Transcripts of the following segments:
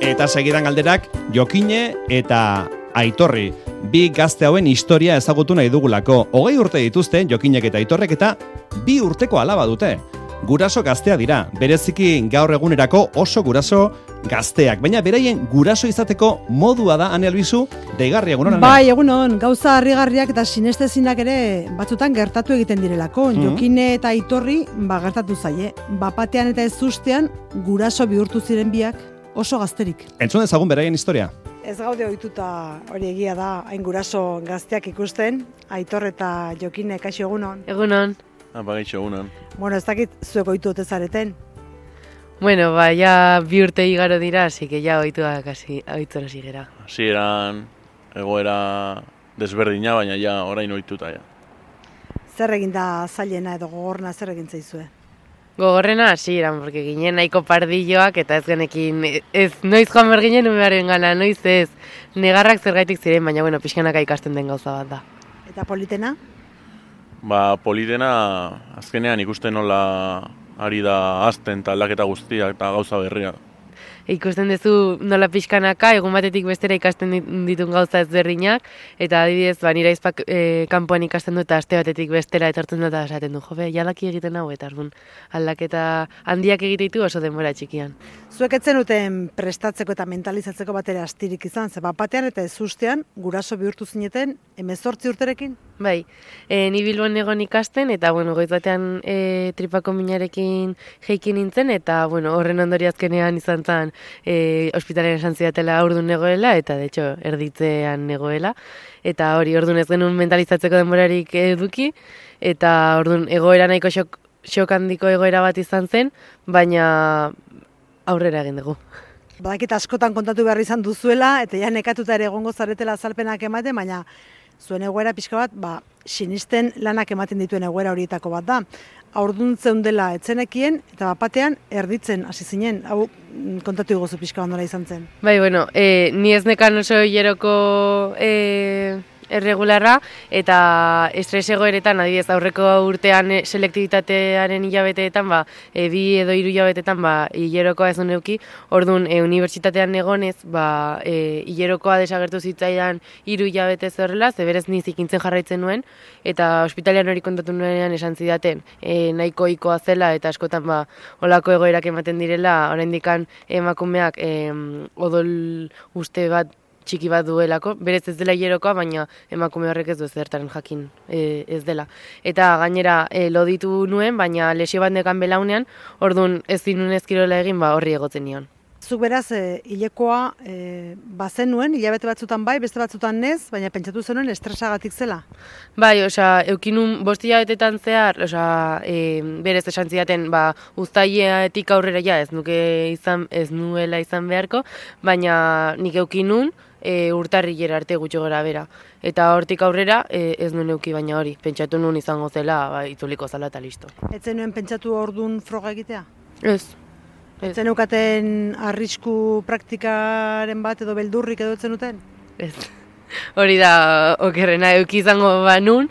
Eta segidan galderak Jokine eta Aitorri. Bi gazte hauen historia ezagutu nahi dugulako. 20 urte dituzte Jokinek eta Aitorrek eta 2 urteko alaba dute. Guraso gaztea dira, bereziki gaur egunerako oso guraso gazteak. Baina beraien guraso izateko modua da, Ane Albizu, deigarri egunon, Ane? Bai, egunon, gauza harrigarriak eta sinestezinak ere batzutan gertatu egiten direlako. Jokine eta Aitorri gertatu zaie. Bapatean eta ez ustean guraso bihurtu ziren biak oso gazterik. Entzun ezagun beraien historia. Ez gaude ohituta, hori egia da, hain guraso gazteak ikusten, Aitor eta Jokine, kaixo egunon. Egunon. Gaitxo egunon. Bueno, ez dakit zuek ohitu ote zareten. Bueno, ja 2 urte igaro dira, así que ja ohituak ohitzen hasi gera. Hasieran egoera desberdina, baina ja orain ohituta ja. Zer egin da zailena edo gogorna zer egin zaizue? Gogorrena hasieran, porque ginen nahiko pardilloak eta ez genekin, ez noiz joan behar ginen umearen gana, noiz ez negarrak zergaitik ziren, baina bueno, pixkanaka ikasten den gauza bat da. Eta politena? Politena azkenean ikusten nola ari da azten eta aldaketa guztiak eta gauza berria. Ikusten duzu nola pixkanaka, egun batetik bestera ikasten ditun gauza ezberdinak, eta adibidez, nire aizpak kanpoan ikasten du eta aste batetik bestera etortzen dut eta esaten du, jobe, jalaki egiten hau, eta aldaketa handiak egiteitu oso denbora txikian. Zuek etzen duten prestatzeko eta mentalizatzeko batera astirik izan, ze bapatean eta ez ustean guraso bihurtu zineten 18 urterekin? Bai, ni Bilbon egon ikasten, eta goiz batean tripako minarekin jeiki nintzen, eta horren ondori azkenean izan zen ospitalean esan zidatela aurdun negoela, eta de hecho erditzean negoela, eta hori ordun ez genuen mentalizatzeko denborarik eduki, eta ordun egoera nahiko xok handiko egoera bat izan zen, baina aurrera egin dugu. Badakit askotan kontatu behar izan duzuela, eta ja nekatuta ere egongo zaretela azalpenak ematen, baina zuen egoera pixka bat, sinisten lanak ematen dituen egoera horietako bat da. Aurdun zeundela etzenekien, eta bapatean erditzen hasi zinen, hau kontatu iguzu pixka bat nola izan zen. Bai, ni ez nekan oso hileroko erregularra, eta estres egoeretan, adibidez, aurreko urtean selektibitatearen hilabeteetan, 2 edo 3 hilabeteetan, hilerokoa ez neuki, orduan, unibertsitatean egonez, hilerokoa desagertu zitzaidan 3 hilabete horrela, zeberez ni zikintzen jarraitzen nuen, eta ospitalean hori kontatu nuenean esan zidaten, nahiko ohikoa zela, eta askotan, olako egoerak ematen direla, oraindikan emakumeak odol uste bat txiki bat duelako, berez ez dela hilerokoa, baina emakume horrek ez du zertaren jakin ez dela. Eta gainera loditu nuen, baina lesio bat nekan belaunean, orduan ez dinun ezkirola egin, horri egotzen nion. Zuk beraz, hilekoa bazen nuen, hilabete batzutan bai, beste batzutan ez, baina pentsatu zenuen estresagatik zela? Bai, eukinun 5 hilabetetan zehar, berez esan zidaten, uztailetik aurrera ez nuela izan beharko, baina nik eukinun, urtarrilera arte gutxo gara bera. Eta hortik aurrera ez nuen euki, baina hori, pentsatu nuen izango zela, itzuliko zala eta listo. Etzen nuen pentsatu orduan froga egitea? Ez. Etzen eukaten arrisku praktikaren bat edo beldurrik edo etzen duten? Ez. Hori da okerrena, euki izango banun,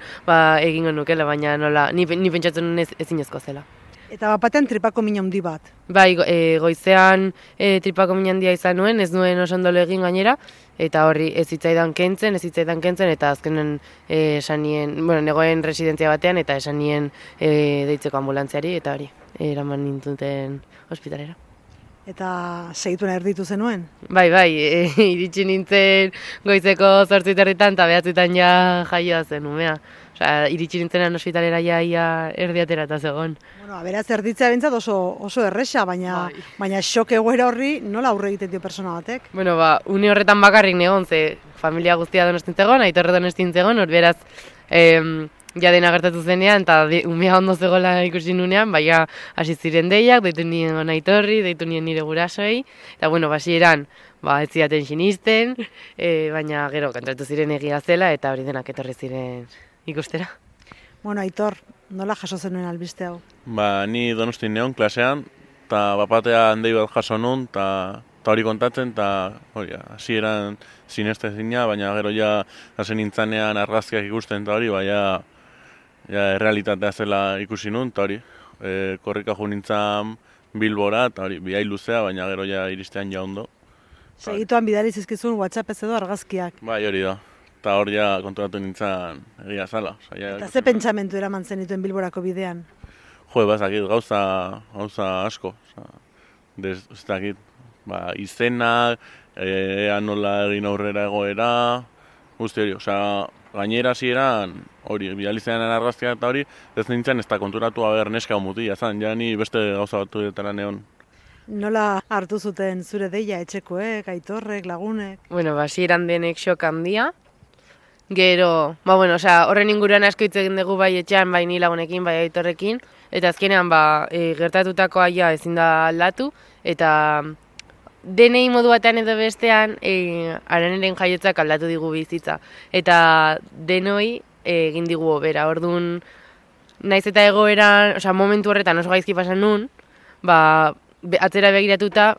egingo nukela, baina nola, ni pentsatzen nuen ezinezko zela. Eta bapatean tripako min handi bat? Bai, goizean tripako min handia izan nuen, ez nuen oso ondolo egin gainera, eta horri ez zitzaidan kentzen, eta azkenen esan nien, negoen residentzia batean, eta esan nien deitzeko ambulantziari, eta hori, eraman nintuten ospitalera. Eta segituen erditu zenuen? Bai, iritsi nintzen goizeko 8:30 eta 9:00 ja jaioa zen umea. Iritsi nintzenan ospitalera ia erdiatera eta zegoen. Beraz, erditzea bintzat oso erresa, baina xok egoera horri nola aurre egiten dio persona batek? Une horretan bakarrik negon, ze familia guztia Donostin zegoen, Aitorre Donostin zegoen, hor beraz, ja dena gertatu zenean, eta umea ondo zegoela ikusi nunean, baina hasi ziren deiak, deitu nien Aitorri, deitu nien nire gurasoei, eta basieran, ez zidaten sinisten, baina gero kontratu ziren egia zela, eta hori denak etorri ziren ikustera. Aitor, nola jaso zenuen albiste hau? Ni Donostin neon klasean, eta bapatea handei bat jaso nun, eta hori kontatzen, eta hasieran sinestezina, baina gero hasen nintzanean argazkiak ikusten, eta hori, errealitatea zela ikusi nun, eta hori, korrika jo nintzen Bilbora, eta hori, bihai luzea, baina gero iristean ondo. Segituan bidali zizkizun WhatsApp ez edo argazkiak. Bai, hori da. Eta hor ja konturatu nintzen egia zala. Eta ze pentsamentu eraman zenituen Bilborako bidean? Jo, bazakit, gauza asko. Ez dakit, izenak, ea nola egin aurrera egoera, guzti hori, gainera hasieran hori, bidalizean argazkia eta hori, ez nintzen ez da konturatu neska hau mutia, ja ni beste gauza batu detara neon. Nola hartu zuten zure deia etxekoek, aitorrek, lagunek? Bueno, hasieran denek xok handia. Gero, horren inguruan asko hitz egin dugu bai etxean, bai ni lagunekin, bai aitorrekin, eta azkenean gertatutakoa ja ezin da aldatu, eta denei modu batean edo bestean Araneren jaiotzak aldatu digu bizitza. Eta denoi egin digu hobera. Orduan, naiz eta egoeran, momentu horretan oso gaizki pasan nun, atzera begiratuta,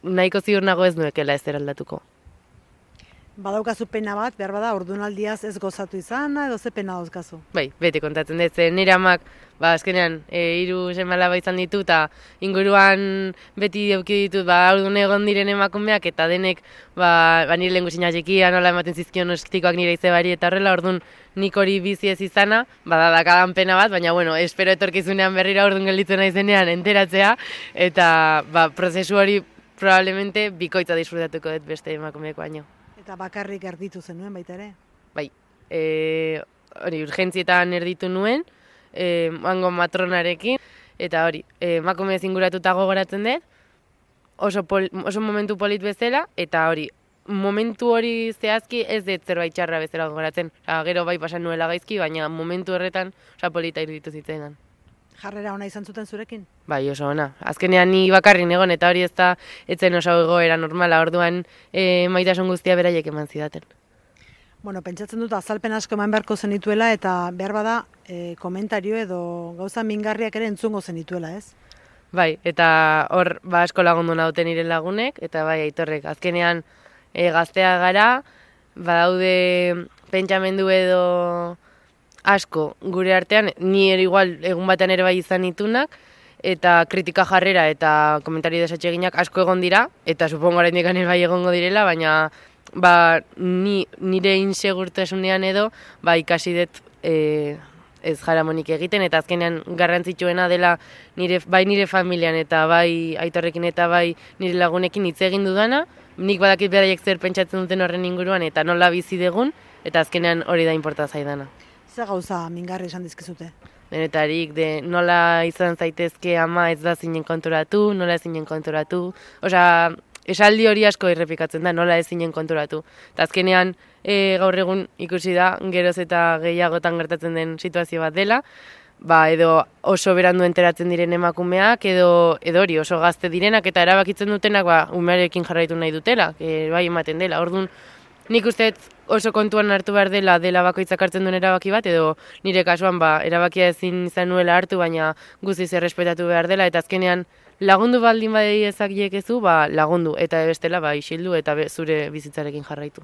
nahiko ziur nago ez nuekela ez aldatuko. Badaukazu pena bat, behar bada, ordunaldiaz ez gozatu izana, edo ze pena dauzkazu? Bai, bete kontatzen dut, nire amak, azkenean, 3 seme-alaba izan ditu, eta inguruan beti eduki ditut, ordun egon diren emakumeak, eta denek, nire lehen guzina txikia, nola ematen zizkion ostikoak nire izebari, eta horrela, orduan nik hori bizi ez izana, dakadan pena bat, baina, espero etorkizunean berrira orduan gelditzen naizenean enteratzea, eta prozesu hori probablemente bikoitza disfrutatuko dut beste emakumeeko baino. Eta bakarrik erditu zenuen baita ere? Bai, hori urgentzietan erditu nuen, hango matronarekin, eta hori, emakume zinguratuta gogoratzen dut, oso momentu polit bezala, eta hori, momentu hori zehazki ez dut zerbait txarra bezala gogoratzen. Gero bai pasan nuela gaizki, baina momentu horretan polita iruditu zitzaidan. Jarrera ona izan zuten zurekin? Bai, oso ona. Azkenean ni bakarrin egon, eta hori ez da etzen oso egoera normala, orduan maitasun guztia beraiek eman zidaten. Bueno, pentsatzen dut azalpen asko eman beharko zenituela, eta behar bada komentario edo gauza mingarriak ere entzungo zenituela, ez? Bai, eta hor asko lagundu nauten nire lagunek, eta bai aitorrek. Azkenean gaztea gara, badaude pentsamendu edo asko gure artean, ni ere igual egun batean ere bai izan ditunak, eta kritika jarrera eta komentario desatseginak asko egon dira, eta supongo oraindik ere bai egongo direla, baina nire insegurtasunean edo ikasi dut ez jaramonik egiten, eta azkenean garrantzitsuena dela bai nire familian eta bai aitorrekin eta bai nire lagunekin hitz egin dudana, nik badakit beraiek zer pentsatzen duten horren inguruan eta nola bizi dugun, eta azkenean hori da inporta zaidana. Ze gauza mingarri esan dizkizute? Denetarik, nola izan zaitezke ama ez da zinen konturatu, nola ez zinen konturatu. Esaldi hori asko errepikatzen da, nola ez zinen konturatu. Eta azkenean, gaur egun ikusi da, geroz eta gehiagotan gertatzen den situazio bat dela, edo oso berandu enteratzen diren emakumeak, edo hori oso gazte direnak, eta erabakitzen dutenak umearekin jarraitu nahi dutela, bai ematen dela. Orduan, nik uste oso kontuan hartu behar dela bakoitzak hartzen duen erabaki bat, edo nire kasuan erabakia ezin izan nuela hartu, baina guztiz errespetatu behar dela, eta azkenean lagundu baldin badei ezakiekezu, lagundu, eta bestela isildu eta zure bizitzarekin jarraitu.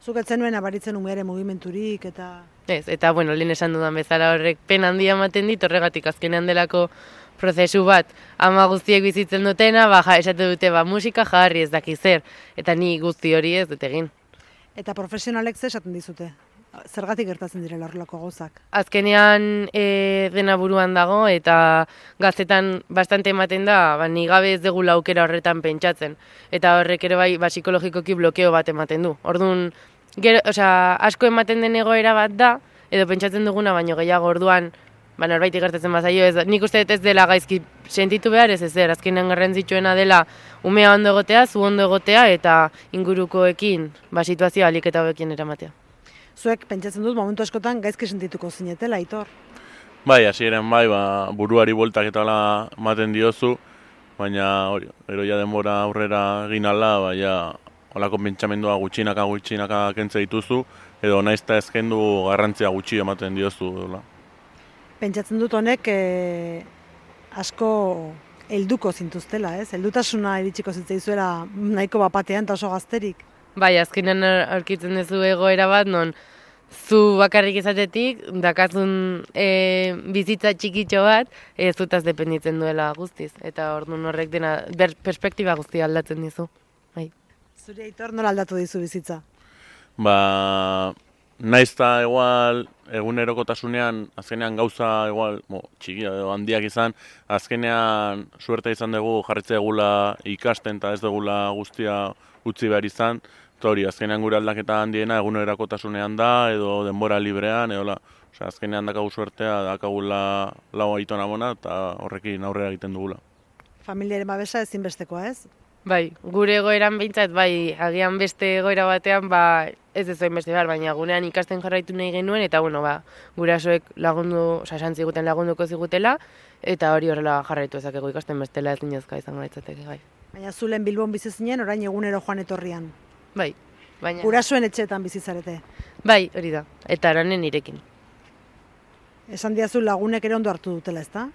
Zuk etzen nuen abaritzen umeare mugimenturik eta... Ez, eta lehen esan dudan bezala horrek pena handia ematen dit, horregatik azkenean delako prozesu bat, ama guztiek bizitzen dutena, esate dute musika jarri ez daki zer, eta ni guzti hori ez dut egin. Eta profesionalek ze esaten dizute? Zergatik gertatzen direla horrelako gauzak? Azkenean dena buruan dago eta gaztetan bastante ematen da, ni gabe ez degula aukera horretan pentsatzen. Eta horrek ere bai psikologikoki blokeo bat ematen du. Orduan, asko ematen den egoera bat da, edo pentsatzen duguna, baino gehiago orduan, norbaitik gertatzen bazaio, nik uste ez dela gaizki sentitu behar ez ezer, azkenean garrantzitsuena dela umea ondo egotea, zu ondo egotea eta ingurukoekin situazioa ahalik eta hobekin eramatea. Zuek pentsatzen dut momentu askotan gaizki sentituko zinetela, Aitor? Bai, hasieran buruari bueltak eta hala ematen diozu, baina hori, eroia denbora aurrera egin ala, holako pentsamendua gutxinaka kentze dituzu, edo naizta ez kendu garrantzia gutxi ematen diozu. Pentsatzen dut honek asko helduko zintuztela, ez? Heldutasuna iritsiko zitzaizuela nahiko bapatean eta oso gazterik. Bai, azkenean aurkitzen duzu egoera bat, non zu bakarrik izatetik, dakazun bizitza txikitxo bat, zutaz dependitzen duela guztiz. Eta orduan horrek dena perspektiba guztia aldatzen dizu. Bai. Zuri Aitor nola aldatu dizu bizitza? Ba, naiz eta igual egunerokotasunean, azkenean gauza igual, txikia edo handiak izan, azkenean suerte izan dugu jarritze egula ikasten eta ez dugula guztia utzi behar izan, eta hori, azkenean gure aldaketa handiena egunerokotasunean da, edo denbora librean, edo azkenean dakagu suertea, dakagula lau aitona bona, eta horrekin aurrera egiten dugula. Familiaren babesa ezinbestekoa, ez? Bai, gure egoeran behintzat, bai, agian beste egoera batean, ba, ez ez beste behar, baina gunean ikasten jarraitu nahi genuen, eta bueno, ba, gurasoek lagundu, esan ziguten lagunduko zigutela, eta hori horrela jarraitu ezakegu ikasten bestela ez dinezka izango ditzateke gai. Baina zulen Bilbon bizi zinen, orain egunero joan etorrian. Bai, baina... Gurasoen etxeetan bizizarete. Bai, hori da, eta aranen nirekin. Esan diazu lagunek ere ondo hartu dutela, ezta?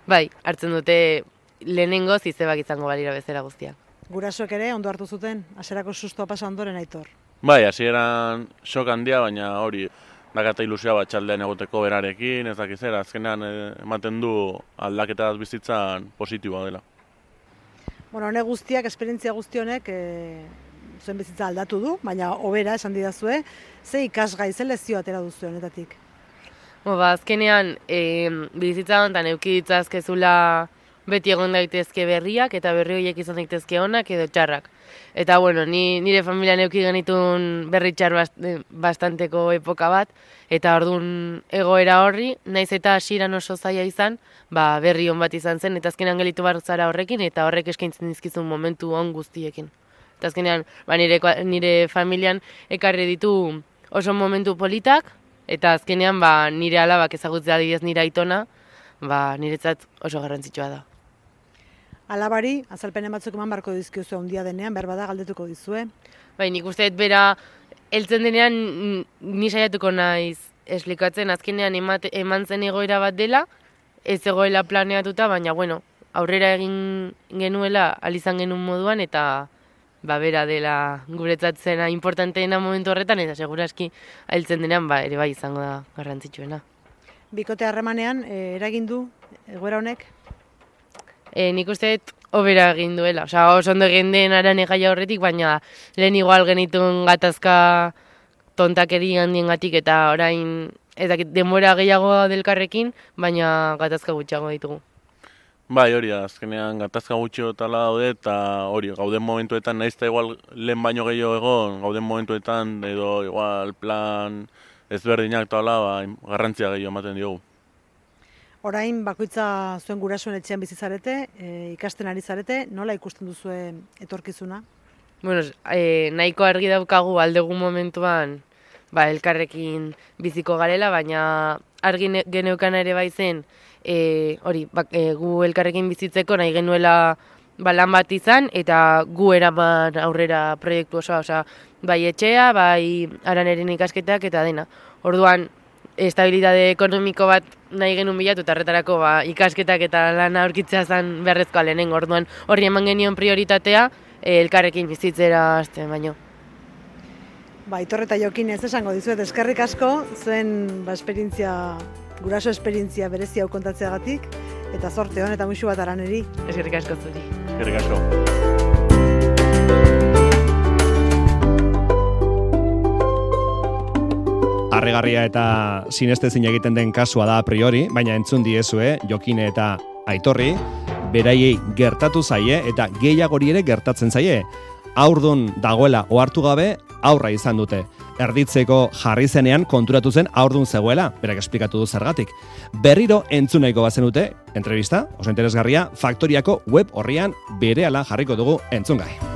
Bai, hartzen dute lehenengo zizebak izango balira bezala guztiak. Gurasoek ere ondo hartu zuten, hasierako sustoa pasa ondoren Aitor. Bai, hasieran sok handia, baina hori dakata ilusioa bat txaldean egoteko berarekin, ez dakizera, azkenean ematen du aldaketa bizitzan positiboa dela. Bueno, honek guztiak, esperientzia guzti honek zuen bizitza aldatu du, baina hobera esan didazue, ze ikasgai, ze lezio atera duzu honetatik? Ba, azkenean, bizitza honetan eduki ditzazkezula beti egon daitezke berriak, eta berri horiek izan daitezke onak edo txarrak. Eta, bueno, nire familian eduki genitun berri txar bastanteko epoka bat, eta orduan egoera horri, naiz eta hasieran oso zaila izan, ba, berri on bat izan zen, eta azkenean gelitu bar zara horrekin, eta horrek eskaintzen dizkizun momentu on guztiekin. Eta azkenean, ba, nire familian ekarri ditu oso momentu politak, eta azkenean ba, nire alabak ezagutzea adibidez nire aitona, ba, niretzat oso garrantzitsua da. Alabari, azalpenen batzuk eman barko dizkiozu handia denean, berbada galdetuko dizue. Bai, nik uste bera heltzen denean ni saiatuko naiz esplikatzen azkenean eman zen egoera bat dela, ez egoela planeatuta, baina bueno, aurrera egin genuela alizan genuen moduan eta ba, bera dela guretzat zena importanteena momentu horretan, eta seguraski heltzen denean ba, ere bai izango da garrantzitsuena. Bikote harremanean, eragin du egoera honek? Nik uste hobera egin duela, oso ondo egin den arane gaia horretik, baina lehen igual genitun gatazka tontakeri handiengatik eta orain denbora gehiago delkarrekin, baina gatazka gutxiago ditugu. Bai, hori da, azkenean gatazka gutxiotala daude eta hori, gauden momentuetan, nahiz eta igual lehen baino gehiago egon, gauden momentuetan edo igual plan ezberdinak eta ba, garrantzia gehiago ematen diogu. Orain bakoitza zuen gurasoen etxean bizi zarete, ikasten ari zarete, nola ikusten duzue etorkizuna? Bueno, nahiko argi daukagu aldegun momentuan ba, elkarrekin biziko garela, baina argi geneukan ere bai zen, gu elkarrekin bizitzeko nahi genuela ba, lan bat izan, eta gu eraman aurrera proiektu osoa, bai etxea, bai araneren ikasketak eta dena. Orduan, estabilitate ekonomiko bat nahi genuen bilatu, eta horretarako ba, ikasketak eta lana aurkitzea zen beharrezkoa lehenengo. Orduan, horri eman genion prioritatea, elkarrekin bizitzera hasten baino. Ba, Aitor eta Jokin ez esango dizuet, eskerrik asko, zuen ba, guraso esperientzia berezi hau kontatzeagatik, eta zorte hon eta musu bat araneri. Eskerrik asko zuri. Eskerrik asko. Harrigarria eta sinestezin egiten den kasua da a priori, baina entzun diezue Jokine eta Aitorri, beraiei gertatu zaie eta gehiagori ere gertatzen zaie. Haurdun dagoela ohartu gabe, aurra izan dute. Erditzeko jarri zenean konturatu zen haurdun zegoela, berak esplikatu du zergatik. Berriro entzunaiko bazenute, entrevista, oso interesgarria, Faktoriako web horrian berehala jarriko dugu entzungai.